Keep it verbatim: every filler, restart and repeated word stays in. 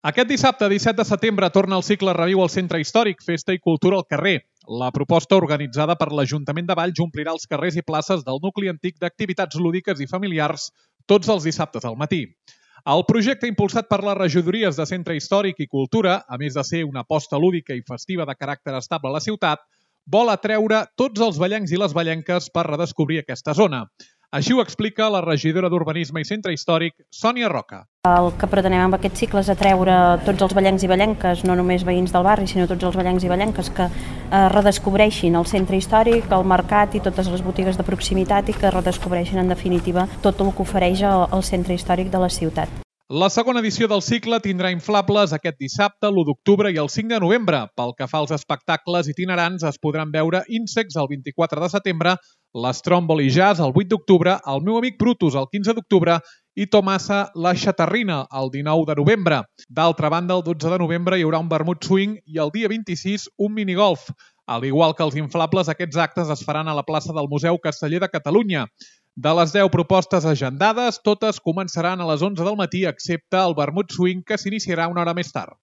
Aquest dissabte, disset de setembre, torna el cicle Reviu al Centre Històric, Festa i Cultura al carrer. La proposta organitzada per l'Ajuntament de Valls omplirà els carrers i places del nucli antic d'activitats lúdiques i familiars tots els dissabtes al matí. El projecte, impulsat per les regidories de Centre Històric i Cultura, a més de ser una aposta lúdica i festiva de caràcter estable a la ciutat, vol atreure tots els vallencs i les vallenques per redescobrir aquesta zona. Així ho explica la regidora d'Urbanisme i Centre Històric, Sònia Roca. El que pretenem amb aquest cicle és atreure tots els vallencs i vallenques, no només veïns del barri, sinó tots els vallencs i vallenques que eh, redescobreixin el centre històric, el mercat i totes les botigues de proximitat i que redescobreixin en definitiva tot el que ofereix el, el centre històric de la ciutat. La segona edició del cicle tindrà inflables aquest dissabte, l'u d'octubre i el cinc de novembre. Pel que fa als espectacles itinerants, es podran veure Insects el vint-i-quatre de setembre, l'Stromboli Jazz el vuit d'octubre, el meu amic Brutus el quinze d'octubre i Tomasa la Xatarrina el dinou de novembre. D'altra banda, el dotze de novembre hi haurà un vermut swing i el dia vint-i-sis un minigolf. Al igual que els inflables, aquests actes es faran a la plaça del Museu Casteller de Catalunya. De les deu propostes agendades, totes començaran a les onze del matí, excepte el vermut swing, que s'iniciarà una hora més tard.